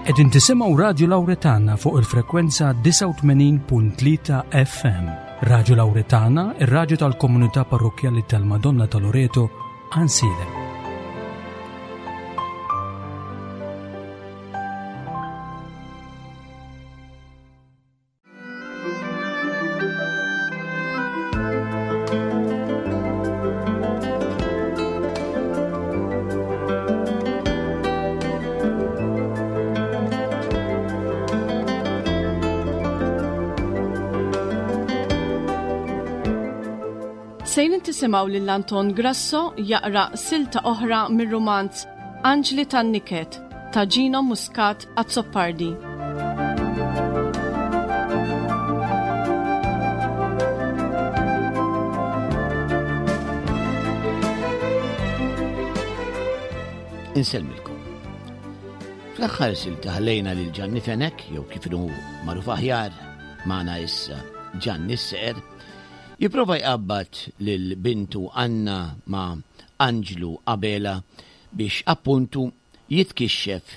Qegħdin tisimgħu Radju Lawretana fuq il-frekwenza 89.3 FM. Radju Lawretana, ir-radju tal-komunità parrokkjali tal-Madonna ta' Loreto, Ansilem. Sejrin tisimgħu lil Anton Grasso jaqra silta oħra mir-rumanz Anġli tan-Niket ta' Gino Muscat Azzopardi. Insellmilkom. Fl-aħħar silta ħallejna lil Ġanni Fenek, jew kif inhu magħruf aħjar magħna issa Ġanni s-Seqer, jipprova jqabbad lil bintu Anna ma' Anġlu Abela biex appuntu jitkixxef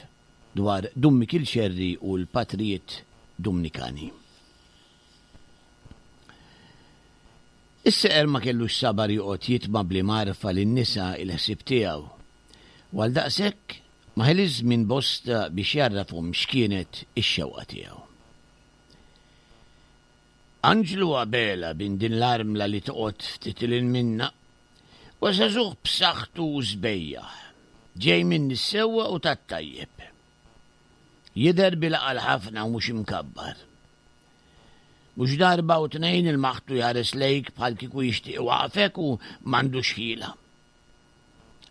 dwar Dun Mikiel Xerri u l-patrijiet Dumnikani. Is-seqer ma kellux sabar joqgħod jitma' bl-imgħarfa lin-nisa il-ħsieb tiegħu, u għaldaqshekk ma ħeliex żmien bosta biex jgħarrafhom x'kienet ix-xewqa tiegħu. Anġlu Abela bin din l-armla li toqgħod ftit 'il hinn minna, huwa żagħżugħ b'saħħtu u sbejjaħ, ġej minn nies sewwa u tat-tajjeb. Jidher bil-għaqal ħafna u mhux imkabbar. Mhux darba u tnejn ilmaħtu jħares lejk bħal kieku jixtieq iwaqqfek u m'għandux ħila.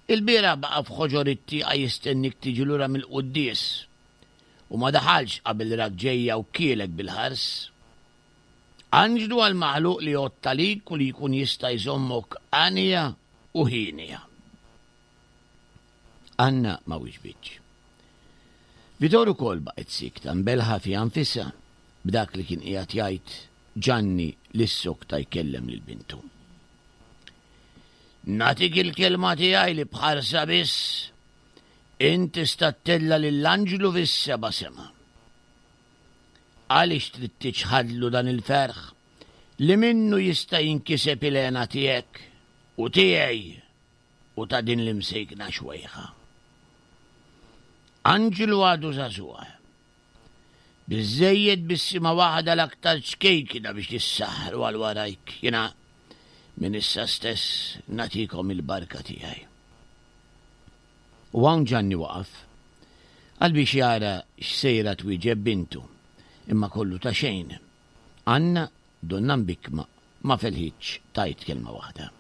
Ilbieraħ baqa' f'ħoġor it-tieqa jistennik tiġi lura mill-quddies u ma daħalx qabel rak ġejja u kielek bil-ħars. Anġlu għall-maħluq li jgħodd għalik u li jkun jista' jżommok għanja u hienja. Anna ma wiġbitx. Vitor ukoll baqgħet siekta mbelħa fiha nfisha b'dak li kien qiegħed jgħid Ġanni li ssokta jkellem lil bintu. Nagħtik il-kelma tiegħi li b'ħarsa biss int tista' ttella' lil anġlu fis-seba' sema. Għaliex trid tiċħadlu dan il-ferħ li minnu jista' jinkiseb il-hena tiegħek u tiegħi u ta' din l-imsejkna xwejħa? Anġlu għadu żagħżugħ. Biżżejjed bissima waħda l-aktar ċkejkna biex tissaħħru għal warajk. Jiena minn issa stess nagħtikom il-barka tiegħi. U hawn Ġanni waqaf, għal biex jara x'sejra twieġeb bintu, imma kollu ta' xejn. Anna, donnha mbikkma, ma felħitx tgħid kelma waħda.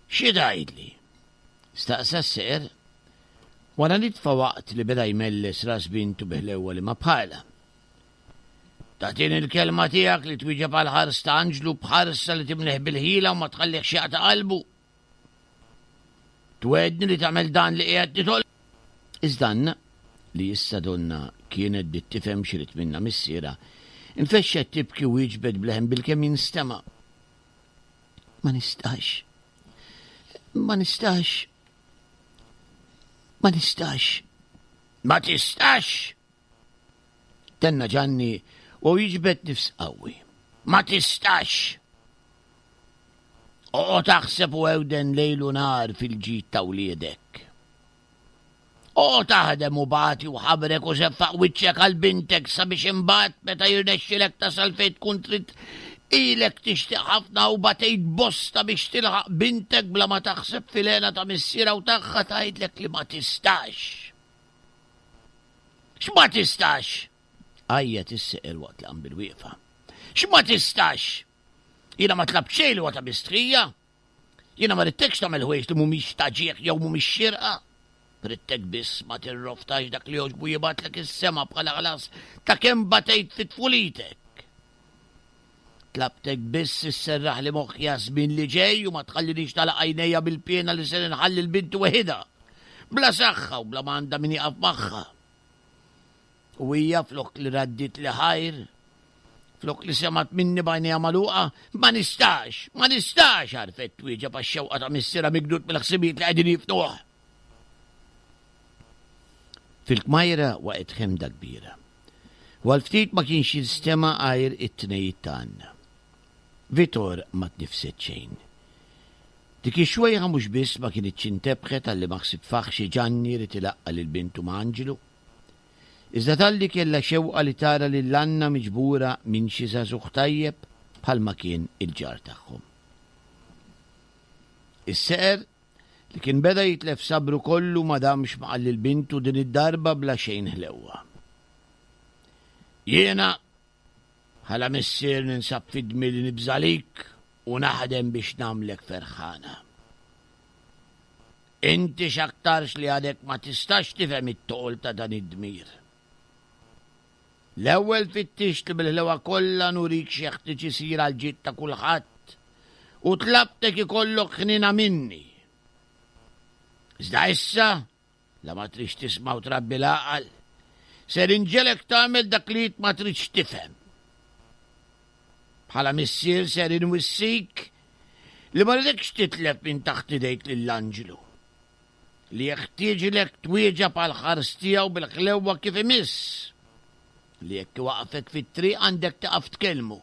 Xi tgħidli? Staqsa s-seqer, wara nitfa waqt li beda jmelles ras bintu bi ħlewwa li ma bħalha. Tagħtini l-kelma tiegħek li twieġeb għall-ħars ta' Anġlu b'ħarsa li timlih bil-ħila u ma tħallihx jaqta' qalbu. Twegħedni li tagħmel dan li qiegħed nitolbek. Iżda Anna, li issa donnha kienet bdiet tifhem x'irid minnha missierha, infexxet tibki u wieġbet b'leħen bilkemm jinstema'. Ma nistax. Ma nistax. Ma nistax. Ma tistax! Tenna Ġanni u jiġbed nifs qawwi. Ma tistax! Oqgħod aħseb u ewden lejl u nhar fil-ġid ta' wliedek. Oqgħod aħdem u bati u ħabrek u seffaq wiċċek għal bintek sabiex imbagħad meta jirnexxilek tasal fejn tkun trid ilek tixtieq ħafna u batejt bosta biex tilħaq bintek bla ma taħseb fil-hena ta' missierha u tagħha tgħidlek li ma tistax. X'ma tistax? Għajjat is-seqer waqt li qam bil-wieqfa. X'ma tistax? Jiena ma tlabt xejn li huwa ta' mistħija. Jiena ma ridtekx tagħmel ħwejjeġ li mhumiex ta' ġieħ jew mhumiex xierqa. Ridtek biss ma tirroftax dak li jogħġbu jibgħatlek is-sema bħala ħlas ta' kemm batejt fi tfulitek. Tlabtek biss isserraħli moħħi għaż-żmien li ġej u ma tħallinix nagħlaq għajnejja bil-piena li ser inħalli 'l binti weħidha, bla saħħa u bla ma għandha min jieqaf magħha. U hija flok li raddietli ħajr, flok li semgħet minni b'għajnejha magħluqa, ma nistax, ma nistax, għarfet twieġeb għax-xewqa ta' missierha mikdud mill-ħsibijiet li qegħdin jifnuh. Fil-kmajra waqgħet ħemda kbira. U għal ftit ma kienx jinstema' għajr it-tnejjid ta' Anna. Vitor ma tnifset xejn. Dik ix-xwejħa mhux biss ma kinitx intebħet għal liema ħsieb faħxi Ġanni ried ilaqqa' lil bintu ma' Anġlu, iżda talli kellha xewqa li tara lil Anna miġbura minn xi żagħżugħ tajjeb bħalma kien il-ġar tagħhom. Is-seqer, li kien beda jitlef sabru kollu ma damx ma qal lil bintu din id-darba bla xejn ħlewwa. Jiena Bħala missier ninsab f'idmi li nibża' għalik u naħdem biex nagħmlek ferħana. Inti x'aktarx li għadek ma tistax tifhem it-toqol ta' dan id-dmir. L-ewwel fittixt li bil-ħlewa kollha nurik x'jeħtieġ isir għall-ġid ta' kulħadd u tlabtek ikollok ħniena minni. Iżda issa La ma tridx tisma' u trabbi l-għaqal, ser inġegħlek tagħmel dak li int ma tridx tifhem. Bħala missier ser inwissik li ma rridekx titlef minn taħt idejk lill-anġlu, li jeħtieġlek twieġeb għall-ħars tiegħu bil-ħlewwa kif imiss, li jekk iwaqqfek fit-triq għandek tieqaf tkellmu.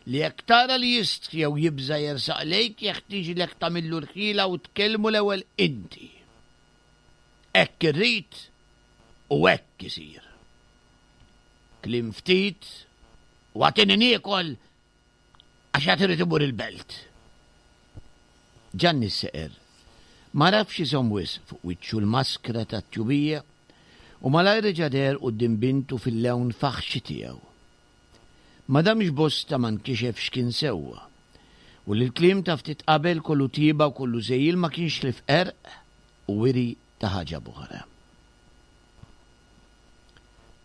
Li jekk tara li jistħi jew jibża' jersaq lejk jeħtieġlek tagħmillu l-ħila u tkellmu l-ewwel inti. Hekk irrid u hekk isir. Kliem ftit u agħtini niekol għax għad irid imur il-belt. Ġanni s-seqer m'għarafx iżomm wisq fuq wiċċu l-maskra tat-tjubija u malajr reġa' deher quddiem bintu fil-lewn faħxi tiegħu. Ma damx bosta ma nkixef x'kien sewwa, u li l-kliem ta' ftit qabel kollu tjieba u kollu żegħil ma kienx ħlief qerq u wiri ta' ħaġa b'oħra.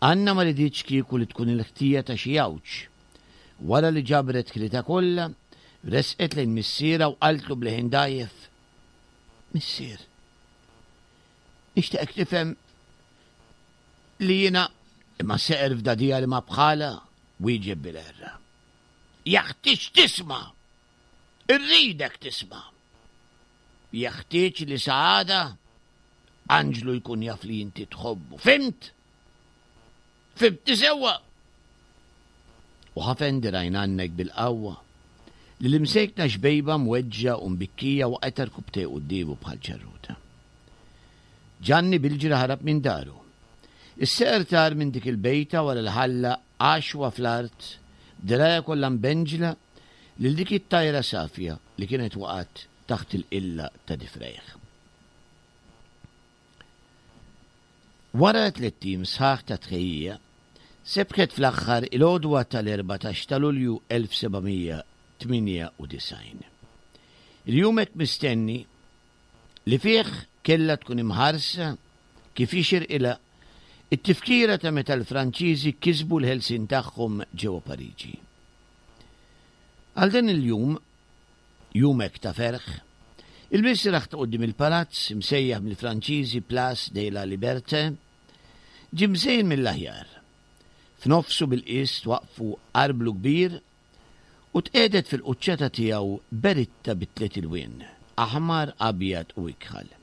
Anna ma riditx kieku li tkun il-ħtija ta' xi għawġ. Wara li ġabret ħilitha kollha, resqet lejn missierha u qaltlu b'leħen dgħajjef, Missier, nixtieqek tifhem Li jiena, imma seqer f'dagħdigħa li ma bħalha, wieġeb bil-għerra. Jeħtieġ tisma'! Irridek tisma'! Jeħtieġ li sa għada Anġlu jkun jaf li inti tħobbu. Fhimt? Fhimtni sewwa? U ħafen dirgħajn għannek bil-qawwa li l-imsejkna xbejba mweġġa' u mbikkija waqgħet għarkupptejh quddiemu bħal ċarruta. Ġanni bil-ġri ħarab minn daru. Is-seqer tar minn dik il-bejta wara li ħalla għaxwa fl-art, b'dirgħajha kollha mbenġla, lil dik it-tajra safja li kienet waqgħet taħt il-qilla ta' difrejh. Wara tlett ijiem sħaħ ta' tħejjija, sebħet fl-aħħar il-għodwa tal-14 ta' Lulju 1798. Il-jum hekk mistenni li fih kellha tkun imħarsa kif jixirqilha t-tifkira ta' meta l-Franċiżi kisbu l-ħelsien tagħhom ġewwa Pariġi. Għal dan il-jum, jum hekk ta' ferħ, il-misraħ ta' quddiem il-palazz, imsejjaħ mill-Franċiżi Place de la Liberté, ġie mżejjen mill-aħjar. F'nofsu bil-qies twaqqfu arblu kbir u tqiegħdet fil-quċċata tiegħu beritta bi tliet ilwien, aħmar, abjad u ikħal.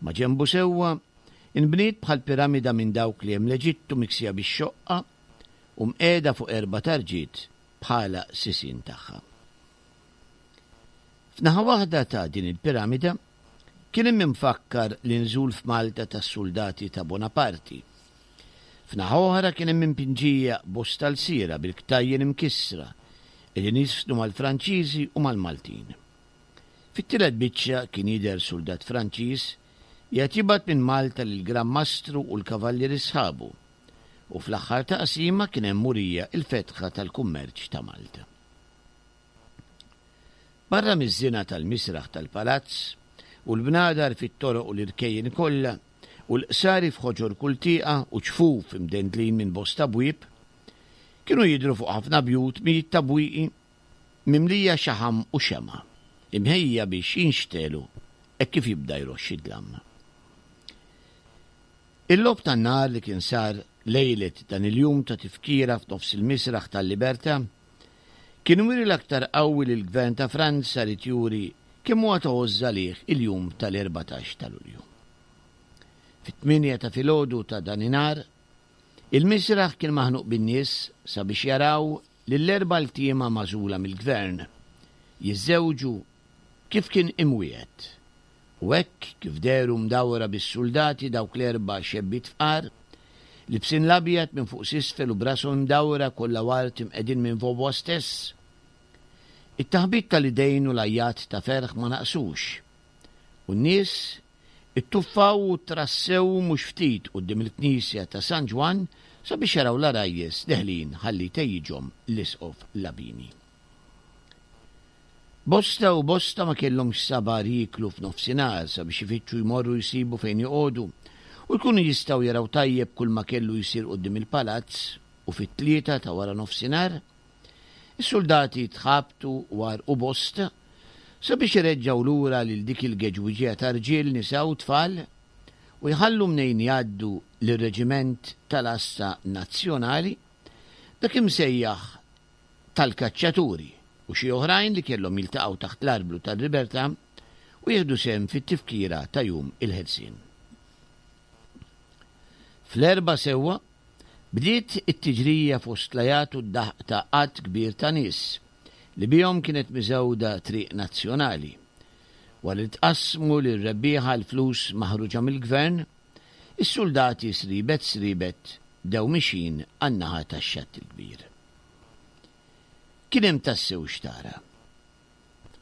Maġenbu sewwa, inbniet bħal piramida minn dawk li hemm l-Eġittu miksija bix-xoqqa u mqiegħda fuq erba' tarġiet bħala sisien tagħha. F'naħa waħda ta' din il-piramida kien hemm imfakkar l-inżul f'Malta tas-suldati ta' Bonaparti. F'naħa oħra kien hemm impinġija bosta lsiera bil-ktajjen imkissra qegħdin jiżfnu mal-Franċiżi u mal-Maltin. Fit-tielet biċċa kien jidher suldat Franċiż qiegħed jibgħat minn Malta lill-Gran Mastru u l-kavallieri sħabu u fl-aħħar taqsima kien hemm murija l-fetħa tal-kummerċ ta' Malta. Barra miż-żina tal-misraħ tal-palazz, u l-bnadar fit-toroq u l-irkejjen kollha, u l-qsari f'ħoġor kull tieqa u ċfuf imdendlin minn bosta bwieb, kienu jidhru fuq ħafna bjut mijiet ta' bwieqi mimlija xaħam u xemgħa, imħejjija biex jinxtegħlu hekk kif jibda jroxx id-dlam. Il-logħob tan-nar li kien sar lejlet dan il-jum ta' tifkira f'nofs il-misraħ tal-Libertà kien wiri l-aktar qawwi li l-Gvern ta' Franza ried juri kemm huwa ta' għożż għalih il-jum tal-14 ta' Lulju. Fit-tmienja ta' filgħodu ta' daninhar, il-misraħ kien maħnuq bin-nies sabiex jaraw lill-erba' ltiema magħżula mill-Gvern jiżżewġu kif kien imwiegħed. U hekk kif dehru mdawra bis-suldati dawk l-erba' xebbiet fqar, libsin l-abjad minn fuq s'isfel u b'rashom imdawra kollha ward imqegħdin minn Vaubois stess, it-taħbit tal-idejn u l-għajjat ta' ferħ ma naqsux, u n-nies ittuffaw u trassew mhux ftit quddiem il-knisja ta' San Ġwann sabiex jaraw l-għarajjes deħlin ħalli jtejjiġhom l-Isqof Labini. Bosta u bosta ma kellhomx sabar jieklu f'nofsinhar sabiex ifittxu jmorru jsibu fejn joqogħdu u jkunu jistgħu jaraw tajjeb kulma kellu jsir quddiem il-palazz u fit-tlieta ta' wara nofsinhar is-suldati tħabtu u għarrqu bosta sabiex ireġġgħu lura lil dik il-geġwiġija ta' rġiel, nisa u tfal u jħallu mnejn jgħaddu lir-reġiment tal-għassa nazzjonali, dak imsejjaħ tal-kaċċaturi u xi oħrajn li kellhom jiltaqgħu taħt l-arblu tal-Libertà u jieħdu sehem fit-tifkira ta' Jum il-Ħelsien. Fl-erbgħa sewwa, bdiet it-tiġrija fost l-għajat u d-daħq ta' għadd kbir ta' nies li bihom kienet miżgħuda triq nazzjonali. Wara li tqassmu lir-rebbieħa l-flus maħruġa mill-Gvern, is-suldati sribet sribet bdew mixjin għan-naħa tax-Xatt il-Kbir. Kien hemm tassew x'tara.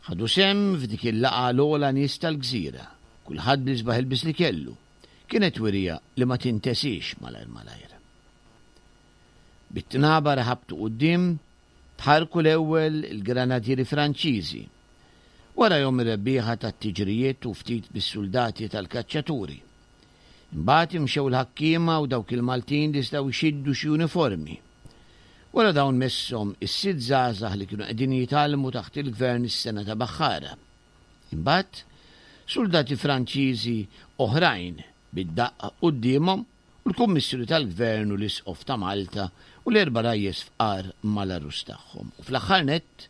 Ħadu sehem f'dik il-laqgħa l-ogħla nies tal-gżira, kulħadd bl-isbaħ ilbies li kellu. Kienet wirja li ma tintesiex malajr malajr. Bit-tnabar ħabtu quddiem, tħarrku l-ewwel il-granadieri Franċiżi, warajhom ir-rebbieħa tat-tiġrijiet u ftit bis-suldati tal-kaċċaturi. Imbagħad imxew il-ħakkiema u dawk il-Maltin li setgħu jxiddu xi uniformi. Wara dawn messhom is-sitt żgħażagħ li kienu qegħdin jitgħallmu taħt il-gvern is-sengħa ta' baħħara. Imbagħad, suldati Franċiżi oħrajn bid-daqq quddiemhom u l-Kummissjoni tal-Gvern u l-Isqof ta' Malta u l-erba' rajjes fqar mal-għarus tagħhom u fl-aħħar nett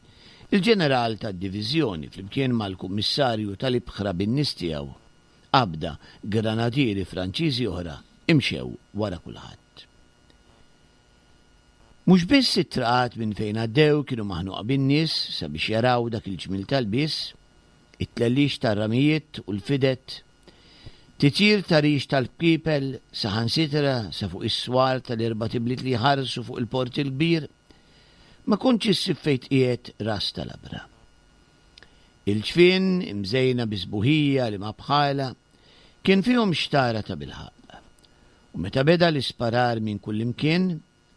il-Ġeneral tad-Diviżjoni flimkien mal-Kummissarju tal-Ibħra bin-nies tiegħu. Qabda granadieri Franċiżi oħra imxew wara kulħadd. Mhux biss it-traqat minn fejn għaddew kienu maħnuqa bin-nies sabiex jaraw dak il-ġmiel ta' lbies, it-tlellix tar-ramijiet u l-fidet, titjir ta' rix tal-bkiepel saħansitra sa fuq is-swar tal-erbat ibliet li jħarsu fuq il-Port il-Kbir, ma kontx issib fejn tqiegħed ras ta' labra. Il-ġfien, imżejna bi sbuħija li ma bħalha, kien fihom xtara tabilħaqq. U meta beda l-isparar minn kullimkien,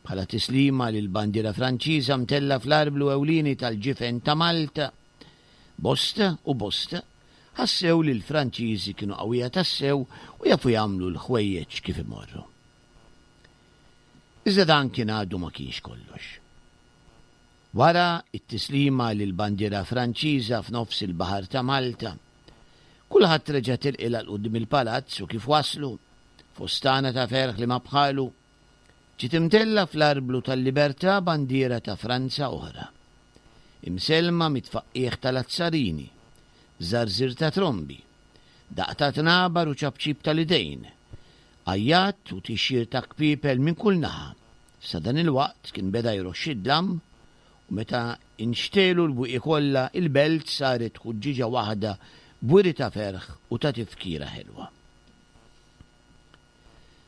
bħala tislima lill-bandiera Franċiża mtellgħa fl-arblu ewlieni tal-ġifen ta' Malta, bosta u bosta ħassew li l-Franċiżi kienu qawwija tassew u jafu jagħmlu l-ħwejjeġ kif imorru. Iżda dan kien għadu ma kienx kollox. Wara t-tislima lill-bandiera Franċiża f'nofs il-baħar ta' Malta, kulħadd reġa' tilqilha 'l quddiem il-palazz u kif waslu, f'ostana ta' ferħ li ma bħalu, ġiet imtellgħa fl-arblu tal-libertà bandiera ta' Franza oħra, imsellma mit-tfaqqiegħ tal-azzarini, żarżir ta' trombi, daqq ta' tnabar u ċapċip tal-idejn, għajjat u tixjir ta' kpiepel minn kull naħa. Sa dan il-waqt kien beda jroxx id-dlam u meta nxtegħlu l-bwieqi kollha il-belt saret ħuġġieġa waħda b'wiri ta' ferħ u ta' tifkira ħelwa.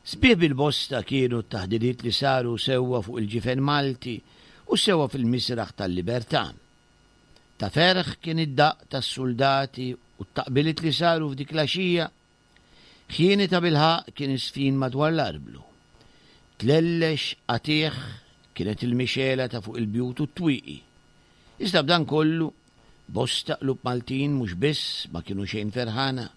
Sbieħ bil-bosta kienu t-taħdidiet li saru sewwa fuq il-ġifen Malti u sewwa fil-misraħ tal-Libertà. Ta' ferħ kien id-daqq tas-suldati u t-taqbiliet li saru f'dik l-għaxija Ħjieni tabilħaqq kien iż-żfin madwar l-arblu. Tlellex qatigħ kienet il-mixegħla ta' fuq il-bjut u t-twieqi. Iżda b'dan kollu, bosta qlub Maltin mhux biss ma kienu xejn ferħana,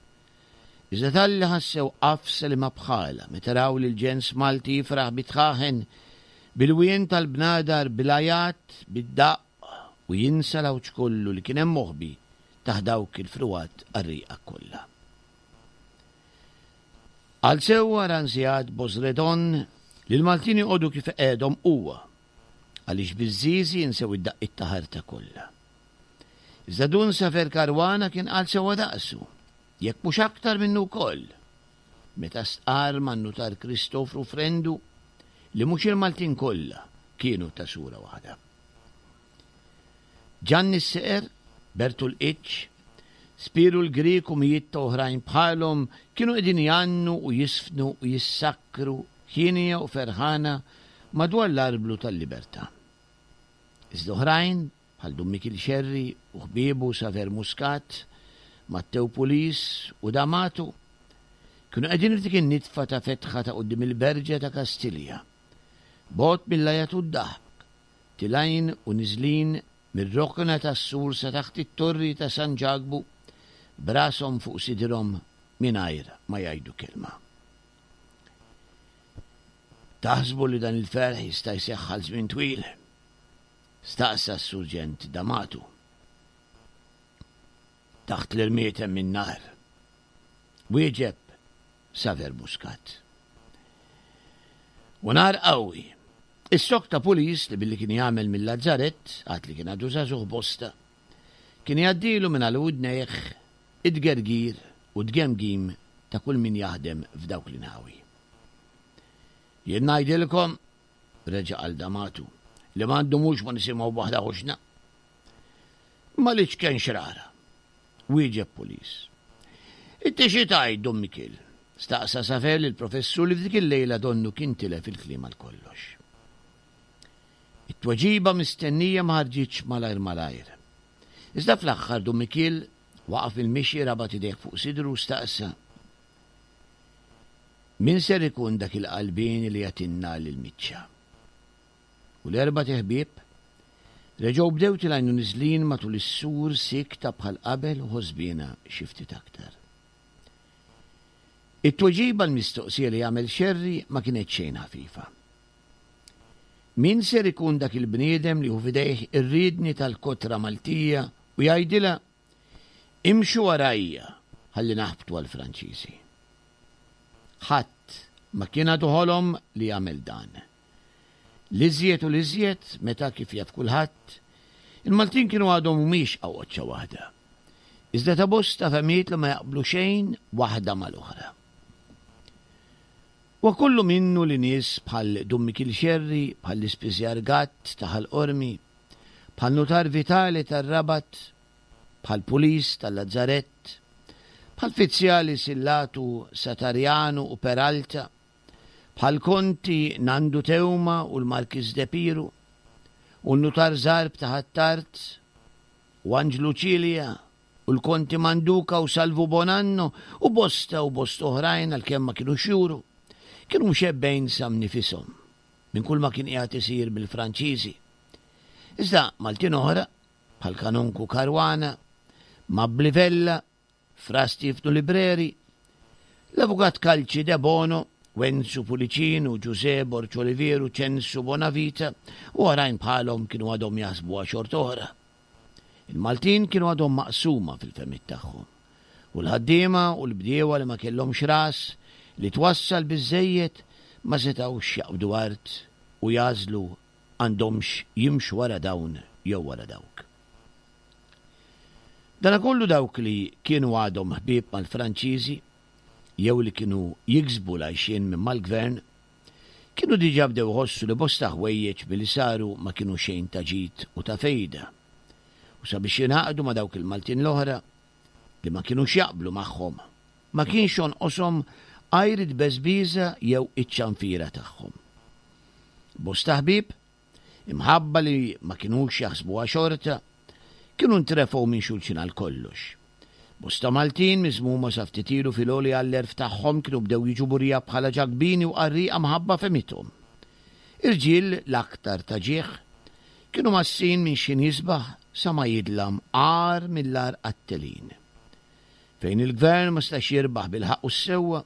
iżda talli ħassew għafsa li ma bħalha meta raw lill-ġens Malti jifraħ bit-tħaħen, bil-wien tal-bnadar, bil-għajat, bid-daqq u jinsa l-għawġ kollu li kien hemm moħbi taħt dawk il-frugħat qarrieqa kollha. Għal sewwa Ranziat Bosredon li l-Maltin joqogħdu kif iqegħedhom huwa, għaliex biż-żiżi jinsew id-daqqiet ta' ħarta kollha. Iżda Dun Safer Caruana kien qal sewwa daqsu, jekk mhux aktar minnu wkoll. meta stqarr man-Nutar Kristofru Frendu li mhux il-Maltin kollha kienu ta' sura waħda. Ġanni s-Seqer, Bertu l-Qiċċ, Spiru l-Grieg u mijiet ta' oħrajn bħalhom kienu qegħdin jgħannu u jiżfnu u jissakkru hienja u ferħana madwar l-arblu tal-libertà. Iżda oħrajn, bħal Dun Mikiel Xerri u ħbiebu Saver Muscat, Mattew Pulis u D'Amato, kienu qegħdin f'dik in-nitfa ta' fetħa ta' quddiem il-Berġa ta' Kastilja, bogħod mill-għajat u d-daħk, tilgħin u niżlin mir-rokna tas-sur sa taħt it-torri ta' San Ġakbu, b'rashom fuq sidirhom mingħajr ma jgħidu kelma. Taħsbu li dan il-ferħ jista' jseħħ għal żmien twil? Staqsa s-Surġent D'Amato. Taħt l-irmied hemm in-nar. Wieġeb Saver Muscat. U nar qawwi. Is-sokk ta' pulis li billi kien jagħmel mill-Lazzarett, għad li kien għadu żagħżugħ bosta, kien jgħaddilu minn għal widnejh it-tgergir u t-tgemgim ta' kull min jaħdem f'dawk l-inħawi. Jien ngħidilkom, reġa' qal D'Amato, li ma ndumux ma nisimgħu b'waħda ħoxna. Ma l-iċken xrara, wieġeb Pulis. Inti xi tgħid, Dun Mikiel? staqsa Safer lill-professur li f'dik il-lejla donnu kien tilef il-kliem għal kollox. It-tweġiba mistennija ma ħarġitx malajr malajr. Iżda fl-aħħar Dun Mikiel waqaf mill-mixi rabat idejh fuq sidru u staqsa, Min ser ikun dak il-qalbieni li jagħtinna lill-miċċa? U l-erbat iħbieb reġgħu bdew tilgħin u niżlin matul is-sur siekta bħal qabel u ħosbiena xi ftit aktar. It-tweġiba għall-mistoqsija li għamel Xerri ma kienet xejn ħafifa. Min ser ikun dak il-bniedem li hu f'idejh ir-riedni tal-kotra Maltija u jgħidilha Imxu warajja ħalli naħbtu għall-Franċiżi? Ħadd ma kien għadu ħolom li jagħmel dan. L-iżjed u l-iżjed meta, kif jaf kulħadd, il-Maltin kienu għadhom mhumiex qawqoċċa waħda, iżda ta' bosta fehmiet li ma jaqblu xejn waħda mal-oħra. Huwa kollu minnu li nies bħal Dun Mikiel Xerri, bħall-Ispiżjar Gatt ta' Ħal Qormi, bħal Nutar Vitale tar-Rabat, bħal Pulis tal-Lazzarett, bħal Fizzjali Sillatu, Satarjanu u Peralta, bħal Konti Nandu Teuma u l-Markiż De Piru, u n-Nutar Zarb ta' Ħ'Attard, u Anġlu Cilia, u l-Konti Manduca u Salvu Bonanno, u bosta u bosta oħrajn għalkemm ma kinux juru, kienu mxebbgħin sa mnifishom minn kull ma kien qiegħed isir mill-Franċiżi. Iżda Maltin oħra, bħal Kanonku Caruana, Mabbli Vella, Fra Stiefnu Libreri, l-Avukat Calci Debono, Wenzu Pulicinu, Ġużè Borg Olivieru, Ċensu Bonavita u oħrajn bħalhom kienu għadhom jaħsbuha xort'oħra. Il-Maltin kienu għadhom maqsuma fil-fehmiet tagħhom u l-ħaddiema u l-bdiewa li ma kellhomx ras li twassal biżżejjed ma setgħux jaqbdu art u jagħżlu għandhomx jimxu wara dawn jew wara dawk. Danakollu dawk li kienu għadhom ħbieb mal-Franċiżi jew li kienu jiksbu l-għajxien minn mal-gvern kienu diġà bdew iħossu li bosta ħwejjeġ milli saru ma kienu xejn ta' ġid u ta' fejda u sabiex jingħaqdu ma' dawk il-Maltin l-oħra li ma kinux jaqblu magħhom ma kienx jonqoshom għajr it-tbeżbiża jew iċ-ċanfira tagħhom. Bosta ħbieb, imħabba li ma kinux jaħsbuha xorta, kienu ntrefgħu minn xulxin għal kollox. Bosta Maltin miżmuma sa ftit ilu fil-għoli għall-għerf tagħhom kienu bdew jiġu murija bħala ġakbini u qarrieqa mħabba fehmithom. Irġiel l-aktar ta' ġieħ kienu mgħassin minn x'ħin jisbaħ sa ma jidlam agħar mill-agħar qattelin. Fejn il-gvern ma setax jirbaħ bil-ħaqq u s-sewwa,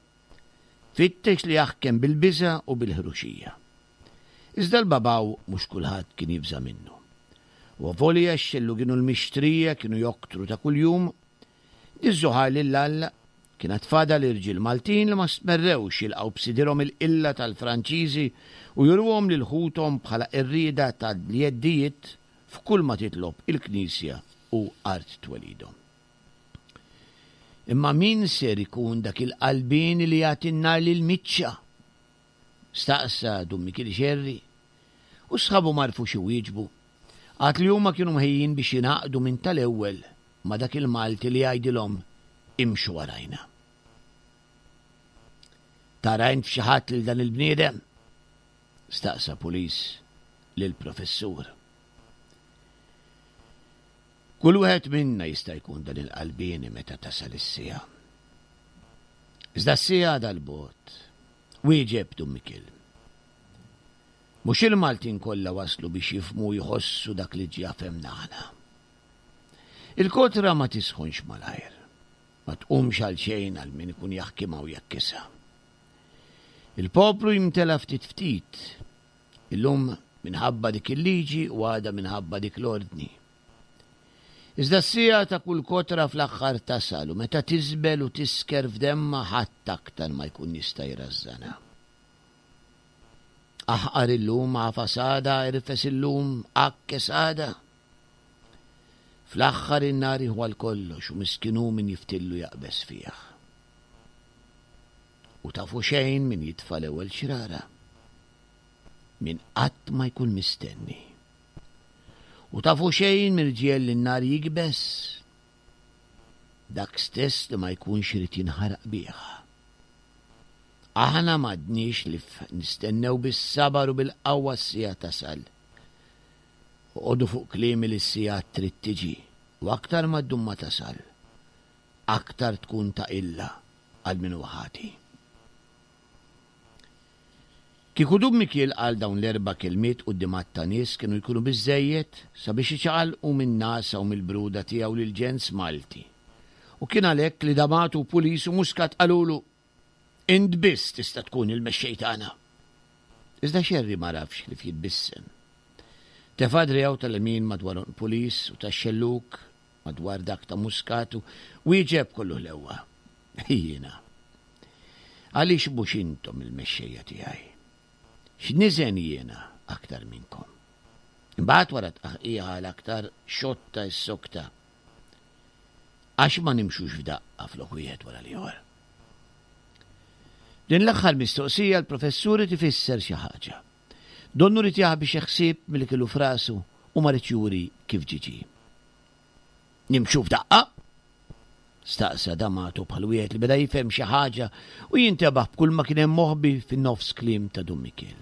fittex li jaħkem bil-biża' u bil-ħruxija. Iżda l-babaw mhux kulħadd kien jibża' minnu. U avolja x-xellugin u l-mixtrija kienu joktru ta' kuljum, diż-żuħar lil Alla, kien għad fadal irġiel Maltin li ma stmerrewx jilqgħu b'sidirhom il-qilla tal-Franċiżi u juruhom lil ħuthom bħala qerrieda tal-jeddijiet f'kull ma titlob il-Knisja u art twelidhom. Imma min ser ikun dak il-qalbieni li jagħti n-nar lill-miċċa? Staqsa Dun Mikiel Xerri, u sħabu m'għarfux iwieġbu, għad li huma kienu mħejjin biex jingħaqdu minn tal-ewwel ma' dak il-Malti li jgħidilhom imxu warajna. Tara int f'xi ħadd lil dan il-bniedem? Staqsa Pulis lill-Professur. Kull wieħed minna jista' jkun dan il-qalbieni meta tasal is-siegħa. Iżda s-siegħa għadha 'l bogħod, wieġeb Dun Mikiel. Mhux il-Maltin kollha waslu biex jifhmu u jħossu dak li ġja fhemna aħna. Il-kotra ma tisħonx malajr, ma tqumx għal xejn għal min ikun jaħkimha u jgħakkisha. Il-poplu jimtela ftit ftit, illum minħabba dik il-liġi u għada minħabba dik l-ordni. Iżda s-siegħa ta' kull kotra fl-aħħar tasal u meta tiżbel u tisker f'demmha ħadd aktar ma jkun jista' jrażżanha. Aħqar illum, agħfas għada, irfes illum, għakkes għada. Fl-aħħar in-nar jieħu għal kollox u miskin hu min jiftillu jaqbeż fih. U tafu xejn min jitfa' l-ewwel xrara. Min qatt ma jkun mistenni. U tafu xejn min ġiegħel lin-nar jikbes? Dak stess li ma jkunx irid jinħaraq bih. Aħna m'għadniex li nistennew bis-sabar u bil-qawwa s-siegħa tasal. Oqogħdu fuq kliemi li s-siegħa trid tiġi u aktar ma ddum ma tasal, aktar tkun ta' qilla għal min huwa ħati. Kieku Dun Mikiel qal dawn l-erba' kelmiet quddiem għadd ta' nies kienu jkunu biżżejjed sabiex iċaqalqu min-nagħsa u mill-bruda tiegħu lill-ġens Malti. U kien għalhekk li D'Amato u Pulis u Muscat qalulu, Int biss tista' tkun il-mexxej tagħna. Iżda Scerri m'għarafx ħlief jitbissem. Tefa' driegħu tal-lemin madwar għonq Pulis u tax-xellug madwar dak ta' Muscat u wieġeb kollu ħlewwa, Jiena. Għaliex mhux intom il-mexxejja tiegħi? X'niżen jiena aktar minnkom? Imbagħad wara tqaħqiha għal aktar xotta issokta. Għax ma nimxux f'daqqa flok wieħed wara l-ieħor? Din l-aħħar mistoqsija l-professur irid ifisser xi ħaġa. Donnu ried jaħbi xi ħsieb milli kellu f'rasu u ma riedx juri kif ġie ġie. Nimxu f'daqqa? Staqsa D'Amato bħal wieħed li beda jifhem xi ħaġa u jintebaħ b'kull ma kien hemm moħbi fin-nofs kliem ta' Dun Mikiel.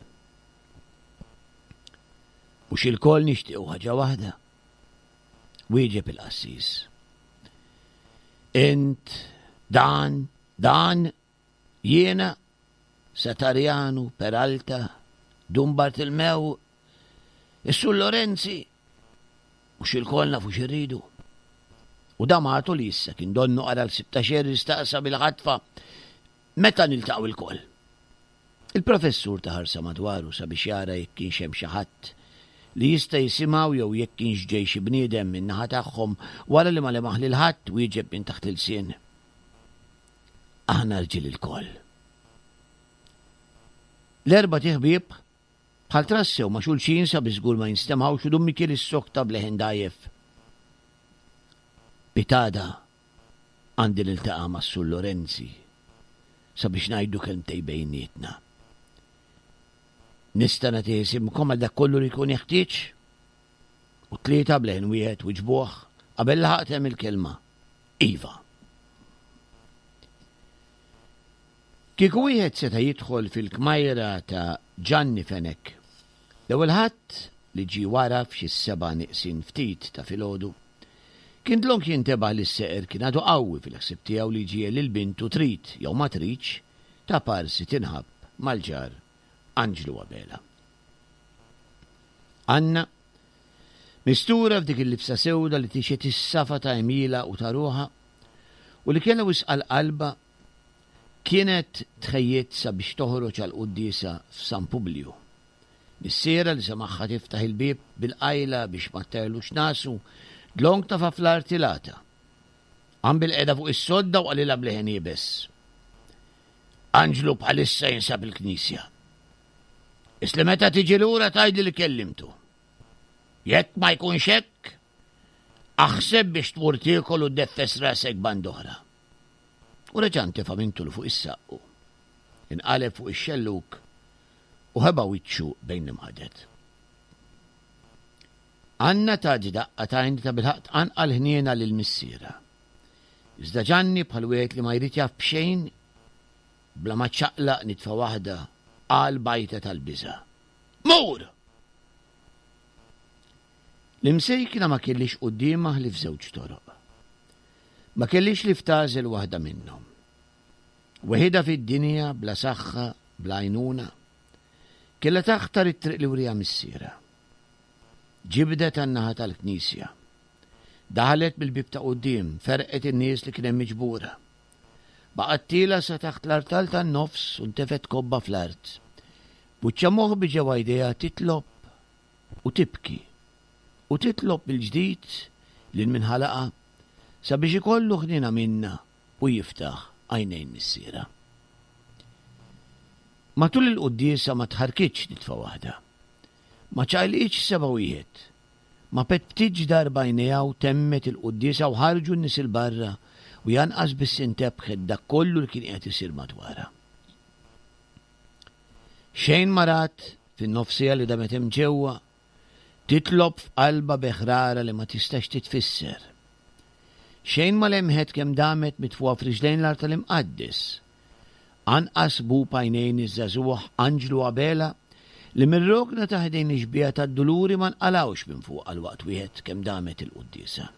Mhux ilkoll nixtiequ ħaġa waħda? Wieġeb il-qassis. Int, dan, dan, Jiena, Satarjanu, Peralta, Dun Bartilmew, is-Sur Lorenzi, mhux ilkoll nafu xi rridu. U D'Amato li issa kien donnu qara l-ħsieb ta' Scerri staqsa bil-ħatfa, Meta niltaqgħu ilkoll? Il-Professur ta ħarsa madwaru sabiex jara jekk kienx hemm xi ħadd li jista' jisimgħu jew jekk kienx ġej xi bniedem min-naħa tagħhom wara li ma lemaħ lil ħadd wieġeb minn taħt l-ilsien. Aħna rġiel ilkoll. L-erbat iħbieb bħal trassew ma' xulxin sabiex żgur ma jinstemgħux u Dun Mikiel issokta b'leħen dgħajjef. Pitada għandi niltaqa' mas-Sur Lorenzi sabiex ngħidu kelmtej bejnietna. Nista' nagħti isimkom għal dak kollu li jkun jeħtieġ? U tlieta b'leħen wieħed wiġbuh qabel laħaq temm il-kelma. Iva. Kieku wieħed seta' jidħol fil-kmajra ta' Ġanni Fenech, l-ewwel Ħadd li ġie wara f'xi s-sebgħa neqsin ftit ta' filgħodu, kien dlonk jintebaħ li s-seqer kien għadu qawwi fil-ħsieb tiegħu li jġiegħel lil bintu trid jew ma tridx ta' parsi tinħabb mal-ġar Anġlu Abela. Anna, mistura f'dik il-libsa sewda li tixhed is-safa ta' għemilha u ta' ruħha, u li kellha wisq għal qalbha, kienet tħejjiet sabiex toħroġ għall-quddiesa f'San Publiju. Missierha li semagħha tiftaħ il-bieb bil-qajla biex ma tterlux nasu, dlonk tafa' fl-art il-għata. Qam bil-qiegħda fuq is-sodda u qalilha b'leħen iebes, Anġlu bħalissa jinsab il-knisja. Is li meta tiġi lura tgħidli li kellimtu. Jekk ma jkunx hekk, aħseb biex tmur tiekol u ddeffes rasek band'oħra. U reġa' ntefa' minn tul fuq is-saqqu. Inqaleb fuq ix-xellug u ħeba wiċċu bejn l-imħaded. Anna tat daqqa t'għajn li tabilħaqq tqanqal ħniena lil missierha. Iżda Ġanni bħal wieħed li ma jrid jaf b'xejn, bla ma ċċaqlaq nitfa waħda, qal b'għajta tal-biża'. Mur! L-imsejkna ma kellhiex quddiemha ħlief żewġ toroq. Ma kellhiex ħlief tagħżel waħda minnhom. Weħidha fid-dinja, bla saħħa, bla għajnuna. Kellha taħtar it-triq li wriha missierha. Ġibdet għan-naħa tal-knisja. Daħlet mill-bieb ta' quddiem, ferrqet in-nies li kien hemm miġbura. Baqgħet tielgħa sa taħt l-artal tan-nofs u ntefgħet kobba fl-art. B'wiċċha moħbi ġewwa jdejha titlob u tibki u titlob mill-ġdid lil min ħalaqha sabiex ikollu ħniena minnha u jiftaħ għajnejn missierha. Matul il-quddiesa ma tħarrkitx nitfa waħda. Ma ċaqilqitx seba' wieħed. Ma petptitx darba għajnejha u temmet il-quddiesa u ħarġu n-nies 'il barra u hi anqas biss intebħet b'dak kollu li kien qiegħed isir madwarha. Xejn ma rat fin-nofs siegħa li damet hemm ġewwa, titlob f'qalbha bi ħrara li ma tistax titfisser. Xejn ma lemħet kemm damet mitfugħa f'riġlejn l-artal imqaddes. Anqas bub għajnejn iż-żagħżugħ Anġlu Abela li mir-rokna ta' ħdejn ix-xbieha tad-Duluri ma nqalgħux minn fuqha għal waqt wieħed kemm damet il-quddiesa.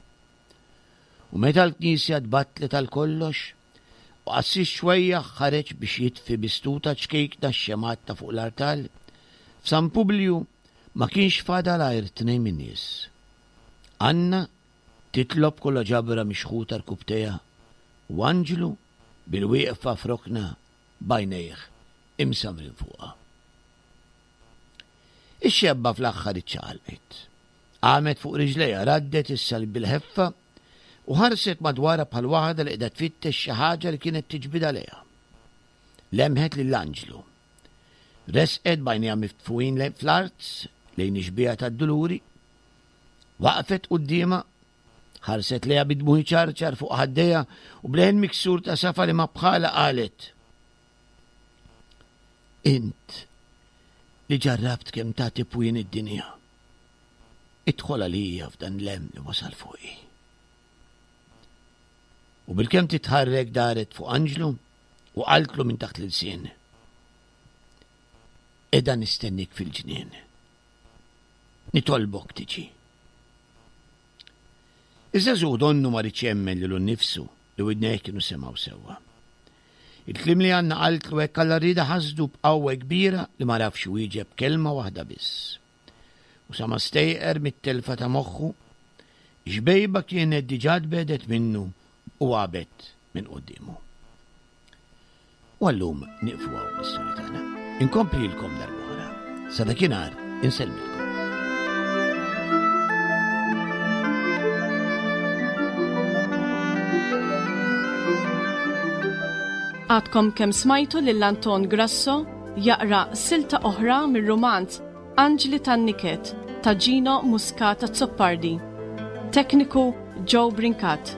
U meta l-knisja tbattlet għal kollox, u qassis xwejjaħ ħareġ biex jitfi bi stuta ċkejkna x-xemgħat ta' fuq l-artal, f'San Publju ma kienx fadal għajr tnejn min-nies. Anna titlob kollha ġabra mixħuta rkubbtejha u Anġlu bil-wieqfa f'rokna b'għajnejh imsammrin fuqha. Ix-xebba fl-aħħar iċċaqalqet. Qamet fuq riġlejha, raddet is-salib bil-ħeffa u ħarset madwarha bħal waħda li qiegħda tfittex xi ħaġa li kienet tiġbidha lejha. Lemħet lil Anġlu. Resqet b'għajnejha miftfuhin fl-art lejn ix-xbieha tad-Duluri. Waqfet quddiemha, ħarset lejha bid-dmugħ iċarċar fuq ħaddejha u b'leħen miksur ta' safa li ma bħalha qalet, Int li ġarrabt kemm tagħti pwien id-dinja. Idħol għalija f'dan l-hemm li wasal fuqi. U bilkemm titħarrek daret fuq Anġlu u qaltlu minn taħt l-ilsien. Qiegħda nistennik fil-ġnien. Nitolbok tiġi. Iż-żagħżugħ donnu ma riedx jemmen lilu nnifsu li widnejh kienu semgħu sewwa. Il-kliem li Anna qaltlu hekk għall-għarrieda ħasdu b'qawwa kbira li ma għarafx iwieġeb kelma waħda biss. U sa ma stejqer mit-telfa ta' moħħu, ix-xbejba kienet diġà tbegħdet minnu u għabet minn quddiemu. U għallum nieqfu hawn l-istorja tagħna. Inkomplilkom darb'oħra. Sa dakinhar insellmilkom. Għadkom kemm smajtu lil Anton Grasso jaqra silta oħra mir-rumanz Anġli tan-Niket ta' Gino Muscat Azzopardi. Tekniku Joe Brincat.